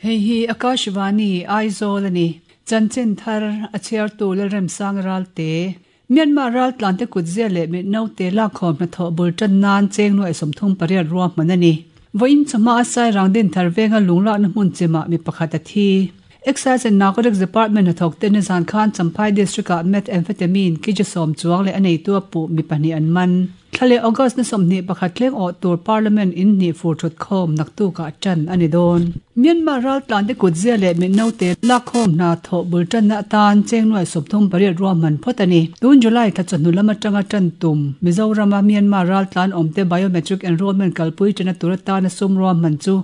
Hei hi Akashvani, Aizawl a ni. Chanchin thar a chhiartu Lalremsang Ralte. Myanmar raltlante kutzia leh mitnaute lakkhawm hnathawh bul tan nan cheng nuai 38 ruahman a ni. Vawiin chawhma a Sairang Dinthar venga lunglakna hmun chimah mi pakhat a thi. Excise and Narcotics Department hnathawk te nizan khan Champhai District-ah Methamphetamine kg 10 chuang leh a neitu a puh mi pahnih an man. Thla leh August ni 21 thleng awh tur Parliament in hnih fur thut khawm naktukah tan a ni dawn. Myanmar raltlante kutzia leh mitnaute lakkhawm hna thawh bul tanna atan cheng nuai 38 ruahman phawt a ni. Tun July thla chawhnu lam atanga tan tum Mizorama Myanmar raltlan awmte biometric enrollment kalpui tana tur atana sum ruahman chu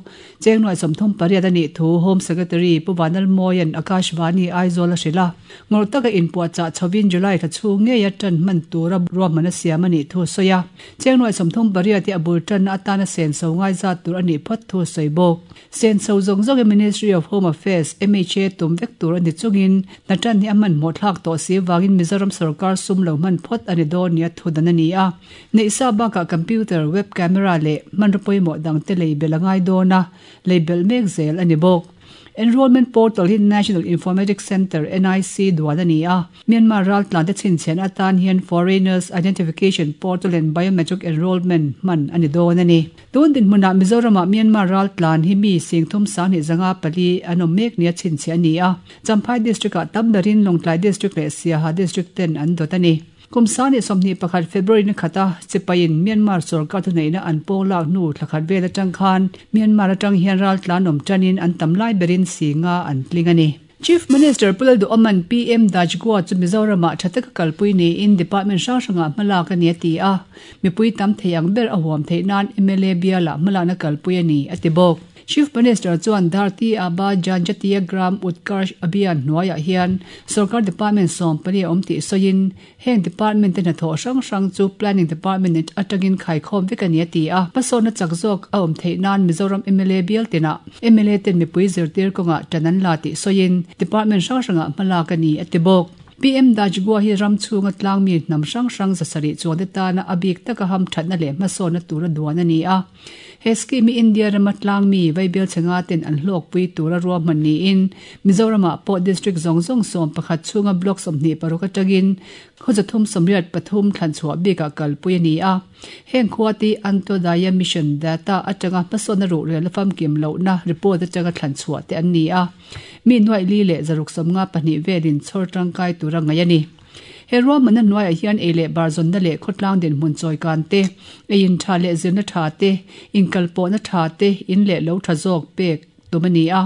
cheng nuai 38 a nih thu Home Secretary Pu Vanlalmawia'n Akashvani Aizawl a hrilh a. Ngawrh taka inpuahchah chhovin July thla chhung ngeia tan hman tura ruahman a siam a nih thu a sawi a. Cheng nuai 38 hi a bul tanna atana senso ngai zat tur a nih phawt thu a sawi bawk. Senso zawng zawngin Ministry of Home Affairs, MHA, tum vek tur a ni chungin hna tan hi a hmanhmawh thlak tawh si vangin Mizoram sorkar sum lo hman phawt a ni dawn nia thu dan a ni a. Neihsa bakah computer, web camera leh hmanraw pawimawh dangte lei belh a ngai dawn a, lei belh mek zel a ni bawk. Enrollment portal hi National Informatics Centre, NIC, duan a ni a. Myanmar raltlante chhinchhiahna atan hian Foreigners Identification Portal and Biometric Enrollment hman a ni dawn a ni. Tun dinhmunah Mizoramah Myanmar raltlan hi mi 3254 an awm mek nia chhinchhiah a ni a. Champhai District-ah tam berin Lawngtlai District leh Siaha District ten an dawt a ni. Kum 2021 February ni khata Chipaiin Myanmar sorkar thuneihna an pawng lak hnu thla khat vel atang khan Myanmar atang hian raltlan awm tanin an tam lai berin si nga an tling a ni. Chief Minister Pu Lalduhoma'n PM Dajgua chu Mizoramah tha taka kalpui niin department hrang hrangah hmalak a ni a ti a, mipui tam thei ang ber a huam theih nan mla bialah hmalakna kalpui a ni a ti bawk. Chief Minister chuan Dharti Aba Janjatiya Gram Utkarsh Abhiyan hnuaiah hian sorkar department 14 a awm tih sawiin heng department te hnathawh hrang hrang chu Planning Department atangin khaikhawm vek a ni a ti a. Hmasawnna chak zawk a awm theih nan Mizoram mla bial tinah mla ten mipui zirtir kawngah tan an la tih sawiin department hrang hrangah hmalak a ni a ti bawk. PM Dajgua hi ram chhunga tlangmi hnam hrang hrang 700 chuan te tana a bik taka hamthatna leh hmasawnna tura duan a ni a. He scheme hi India rama tlangmi Vaibel chhenga ten an hlawkpui tura ruahman niin Mizoramah pawh district zawng zawng 11 chhunga block 26 atangin 383 thlan chhuah bikah kalpui a ni a. Heng khua te Antyodaya Mission data atanga hmasawnna ruhrel a famkim lohna report atanga thlan chhuah te an ni a. Mi nuai li leh 652 velin chhawr tangkai tura ngaih a ni. He ruahmanna hnuaiah hian ei leh bar zawnna leh khawtlang dinhmun chawikan te, ei in tha leh zirna tha te, inkalpawhna tha te, in leh lo tha zawk pek tum a ni a.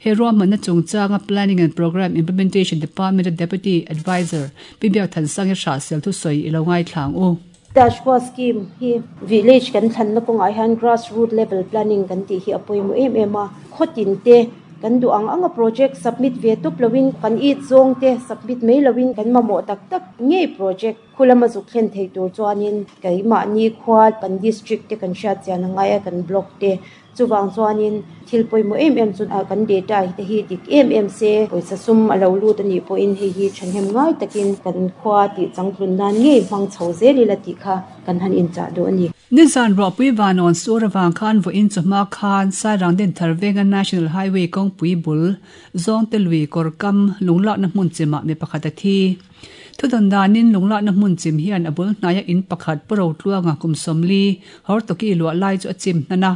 He ruahmanna chungchanga Planning and Programme Implementation Department-a Deputy Adviser Pi Biakthansang-i hrahsel thusawi i lo ngaithla ang u. Dashboard scheme hi village kan thlanna kawngah hian grass root level planning kan tih hi a pawimawh em em a, khawtin te kan duh ang anga project submit ve tawp loin kan it zawng te submit mai loin kan mamawh tak tak ngei project khu lama zuk thlen thei tur chuanin keimahni khua kan district te kan hriat chian a ngai a, kan block te Chuvang chuanin thil pawimawh em em chu kan data te hi dik em em se, pawisa sum a lo lut a nih pawhin hei hi thahnem ngai takin kan khua tih changtlun nan ngei hmang chho zel ila tih kha kan han inchah duh a ni. Nizan ruahpui vanawn sur avang khan vawiin chawhma khan Sairang Dinthar venga National Highway kawngpui bul Zawngte lui kawr kam lunglakna hmun chimah mi pakhat a thi. Thudawn danin lunglakna hmun chim hian a bul hnaia in pakhat Pu Rotluanga kum 40 Hortoki luah lai chu a chim hnan a.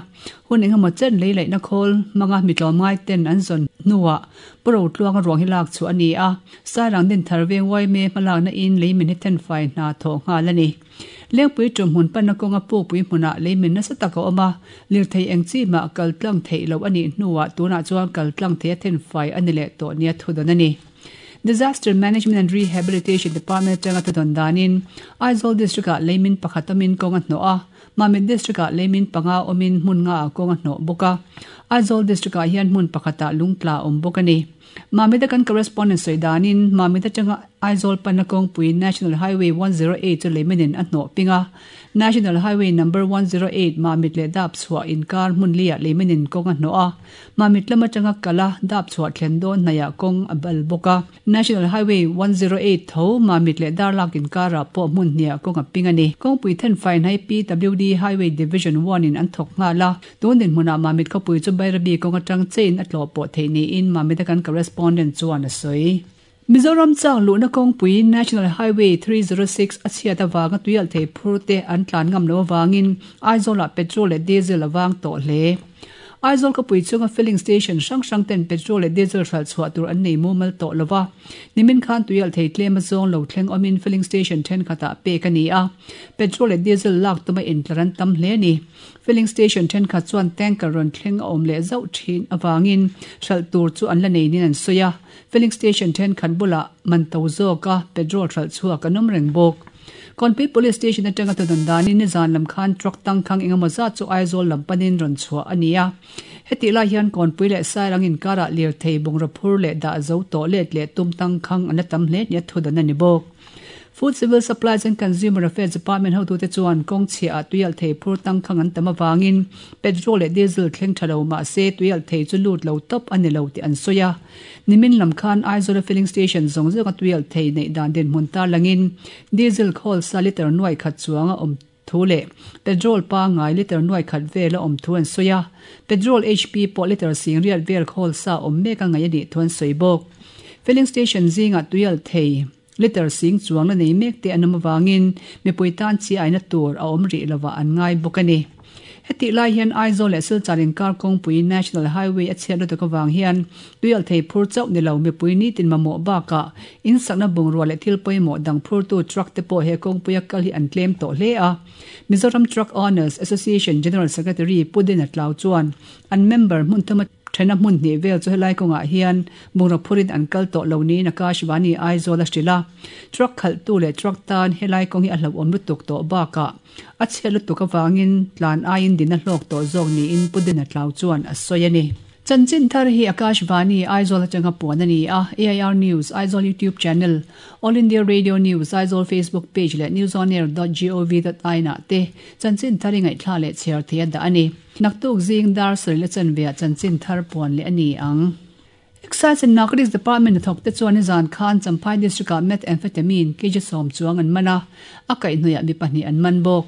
Hun engemaw chen lei laihna khawl hmanga mi tlawmngai ten an zawn hnuah Pu Rotluanga ruang hi lak chhuah a ni a. Sairang Dinthar veng Uaime hmalakna in leimin hi thenfai hna thawh nghal a ni. Lengpui tum hmun panna kawnga pukpui hmunah leimin nasa tak a awm a, lirthei eng chi mah kal tlang theih loh a nih hnuah tunah chuan kal tlang thei a thenfai a ni leh tawh nia thudawn a ni. Disaster Management and Rehabilitation Department atanga thudawn danin Aizawl District-ah leimin pakhat awmin kawng a hnawh a, Mamit District-ah leimin panga awmin hmun nga ah kawng a hnawh bawk a. Aizawl District-ah hian hmun pakhatah lungtla a awm bawk a ni. Mamit-a kan correspondent sawi danin Mamit atanga. Aizawl panna kawngpui National Highway 108 chu leimin a hnawh ping a. National Highway Number 108 Mamit leh Dapchhuah inkar hmun liah leimin kawng a hnawh a. Mamit lam atanga kal a, Dapchhuah thlen dawn hnaihah kawng a bal bawk a. National Highway 108 tho Mamit leh Darlak inkarah pawh hmun hniah kawng a ping a ni. Kawngpui thenfai hnai PWD Highway Division One in an thawk nghal a. Tun dinhmunah Mamit khawpui chu Bairabi kawng atang chein a tlawh pawh theih niin Mamit a kan correspondent chuan a sawi. Mizoram chak luhna kawngpui National Highway 306 a chhiat avanga tuialh thei phur te an tlan ngam loh avangin Aizawlah petrol leh diesel a vang tawh hle. Aizawl khawpui chunga filling station hrang hrang ten petrol leh diesel hralh chhuah tur an nei mumal tawh lo va. Nimin khan tuialh thei tlem a zawng lo thleng awmin filling station thenkhatah pek a ni a. Petrol leh diesel lak tuma intlar an tam hle a ni. Filling station thenkhat chuan tanker rawn thleng a awm leh zauh thin avangin hralh tur chu an la nei niin an sawi a. Filling station thenkhat bulah man to zawka petrol hralh chhuak an awm reng bawk. Kawnpui Police Station atanga thudawn danin nizan lam khan truck tangkhang engemaw zat chu Aizawl lam panin rawn chhuah a ni a. Hetih lai hian Kawnpui leh Sairang inkarah lirthei bungraw phur leh dah zo tawh let leh tum tangkhang an la tam hle nia thudawn a ni bawk. Food Civil Supplies and Consumer Affairs Department hotute chuan kawng chhiah ah tuialh thei phur tangkhang an tam avangin petrol leh diesel thleng tha lo mahse tuialh thei chu lut lo tawp a ni lo tih an sawi a. Nimin lam khan Aizawl-a filling station zawng zawnga tuialh thei neih dan dinhmun tarlangin diesel khawl sa litre nuai khat chuang a awm thu leh petrol pangngai litre nuai khat vel a awm thu an sawi a. Petrol HP pawh litre sing riat vel khawl sa awm mek a ngaih a nih thu an sawi bawk. Filling station zingah tuialh thei Litre sing chuang la nei mek te an awm avangin mipui tan chi aina tur a awm rih lovah an ngai bawk a ni. Hetih lai hian Aizawl leh Silchar inkar kawngpui National Highway a chhiat lutuk avang hian tuialhthei phur chauh ni lo mipui nitin mamawh bakah insakna bungrua leh thil pawimawh dang phurtu truck te pawh he kawngpuia kal hi an tlem tawh hle a. Mizoram Truck Owners Association General Secretary Pu Dina Tlau chuan an member hmun thuma Thena hmun hnih vel chu helai kawngah hian bungraw phurin an kal tawh lo niin Akashvani Aizawl a hrilh a. Truck khalhtu leh truck tan helai kawng hi a hlauhawm lutuk tawh bakah a chhiat lutuk avangin tlan aiin din a hlawk tawh zawk niin Pu Dina Tlau chuan a sawi a ni. Chanchin thar hi Akashvani Aizawl atanga puan a ni a, AIR News Aizawl YouTube channel, All India Radio News Aizawl Facebook page leh newsonair dot gov dot in ah te chanchin thar i ngaihthla leh chhiar thei a dah a ni. Naktuk zing dar sarih la chanveah chanchin thar puan leh a ni ang. Excise and Narcotics Department hnathawk te chuan nizan khan Champhai District-ah Methamphetamine kg 10 chuang an man a, a kaihhnawihah mi pahnih an man bawk.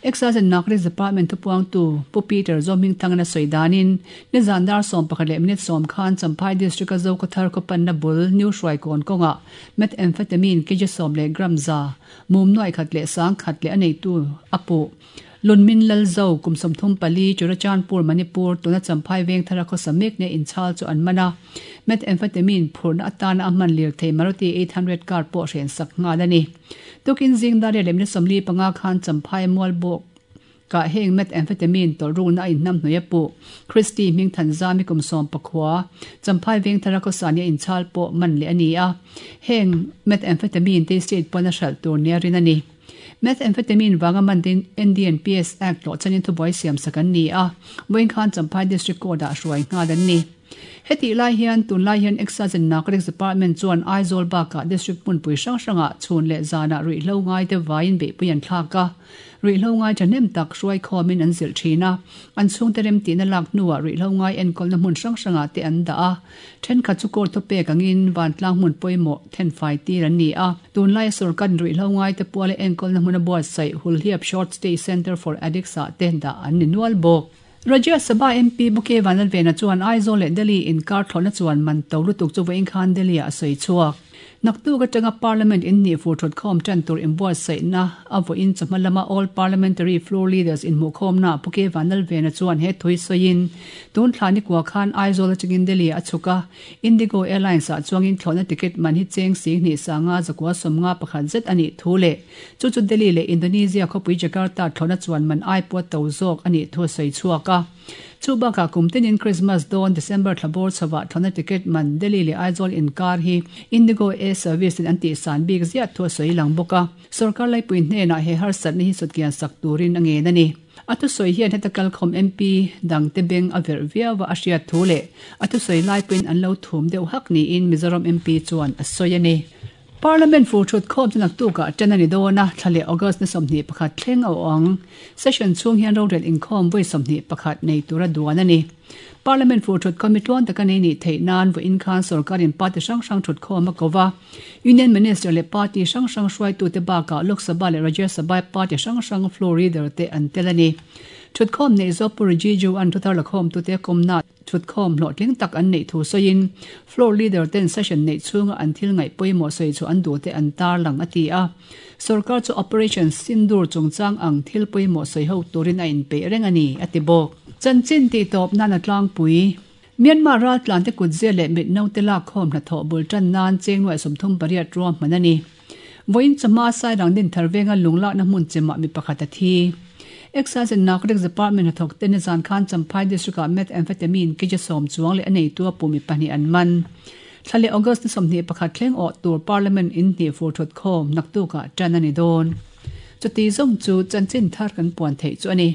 Excise and Narcotics Department thupuangtu Pu Peter Zawhmingthangin a sawi danin, nizan dar 11 leh minute 10 khan Champhai District-a Zokhawthar khawpanna bul New Hruaikawn kawngah Methamphetamine kg 10 leh gram za, mum nuai khat leh sang khat leh a neitu a puh. Lunmin Lalzo, kum 34, Churachandpur, Manipur, tuna Champhai veng thara khawsa mek nia inchhal chu an man a. Methamphetamine phurhna atana a hman lirthei Maruti 800 car pawh hren sak nghal a ni. Tukin zing dar leh minute 45 khan Champhai Mualbawk kah heng methamphetamine tawlh rukna a inhnam hnuai a puh. Christy Hmingthanzami kum 14, Champhai veng thara khawsa nia inchhal pawh man leh a ni a. Heng methamphetamine te state pawn a hralh tur nia rin a ni. Methamphetamine vanga man te NDNPS Act tlawh chanin thubuai siam sak an ni a, vawiin khan Champhai District Court ah hruai nghal an ni. Hetih lai hian tunlai hian Excise and Narcotics Department chuan Aizawl bakah District hmunpui hrang hrangah chhun leh zanah ruihhlo ngai te vaiin beihpui an thlak a, ruihhlo ngai thahnem tak hruai khawmin an zilh thin a, an chhungte remtihna lak hnuah ruihhlo ngai enkawlna hmun hrang hrangah te an dah a, thenkhat chu court thupek angin vantlang hmun pawimawh thenfai tir an ni a. Tunlaia sorkar ruihhlo ngaite puala enkawlna hmuna buatsaih Hulhiap Short Stay Centre for Addicts ah te dah an ni nual bawk. Rajya Sabha MP Bukey Vanlalvena chuan Aizawl leh Delhi inkar thlawhna chuan man to lutuk chu vawiin khan Delhi ah a sawi chhuak. Naktuk atanga Parliament in hnih fur thutkhawm tan tur inbuatsaihna a vawiin chawhma lama All Parliamentary Floor Leaders inhmuhkhawmna ah Bukey Vanlalvena chuan he thui sawiin tun thla nikua khan Aizawl atangin Delhi ah a chhuk a, Indigo Airlines ah chuangin thlawhna ticket man hi cheng sing hnih sanga zakua sawmnga pakhat zet a nih thu leh chu chu Delhi leh Indonesia khawpui Jakarta thlawhna chuan man ai pawh to zawk a nih thu a sawi chhuak a. Chu bakah kum tinin Christmas dawn December thla bawr chhovah thlawhna ticket man Delhi leh Aizawl inkar hi Indigo Air Service in an tihsan bik ziah thu a sawi lang bawk a. Sorkar laipui hnenah he harsatna hi sutkian sak turin a ngen a ni. A thusawi hian heta kalkhawm MP dangte beng a verh viau a, a hriat thu leh a thusawi lai pawhin an lo thum deuh hak niin Mizoram MP chuan a sawi a ni. Parliament fur thut khawm chu naktukah ṭan a ni dawn a, thla leh August ni 21 thleng a awh ang. Session chhung hian rorel inkhawm vawi 21 nei tura duan a ni. Parliament fur thut khawm hi tluang taka nei nih theih nan vawiin khan sorkarin party hrang hrang thut khawm a ko va. Union Minister leh party hrang hrang hruaitute bakah Lok Sabha leh Rajya Sabha party hrang hrang floor leader te an tel a ni. Thutkhawm neih zawk Pu Rijiju an thuthar lakhawmtute kawmna Thutkhawm hlawhtling tak an neih thu sawiin, floor leader ten session neih chhunga an thil ngaih pawimawh sawi chu an duhte an tarlang, a ti a. Sorkar chu Operation Sindoor chungchang ang thil pawimawh sawi ho turin a inpeih reng a ni, a ti bawk. Chanchin tihtawp nan a tlangpui. Myanmar raltlante kutzia leh mit naute lakkhawm hnathawh bul tan nan cheng nuaih 38 ruahman a ni. Vawiin chawhma Sairang Dinthar venga lunglakna hmun chemah mi pakhat a thi. Excise and Narcotics Department hnathawk te nizan khan Champhai District-ah Methamphetamine kg sawm chuang leh a neitu a pum mi pahnih an man. Thla leh August ni 21 thleng awh tur Parliament in hnih fur thut khawm naktukah tan a ni dawn. Chuti zawng chu chanchin thar kan puan theih chu a ni.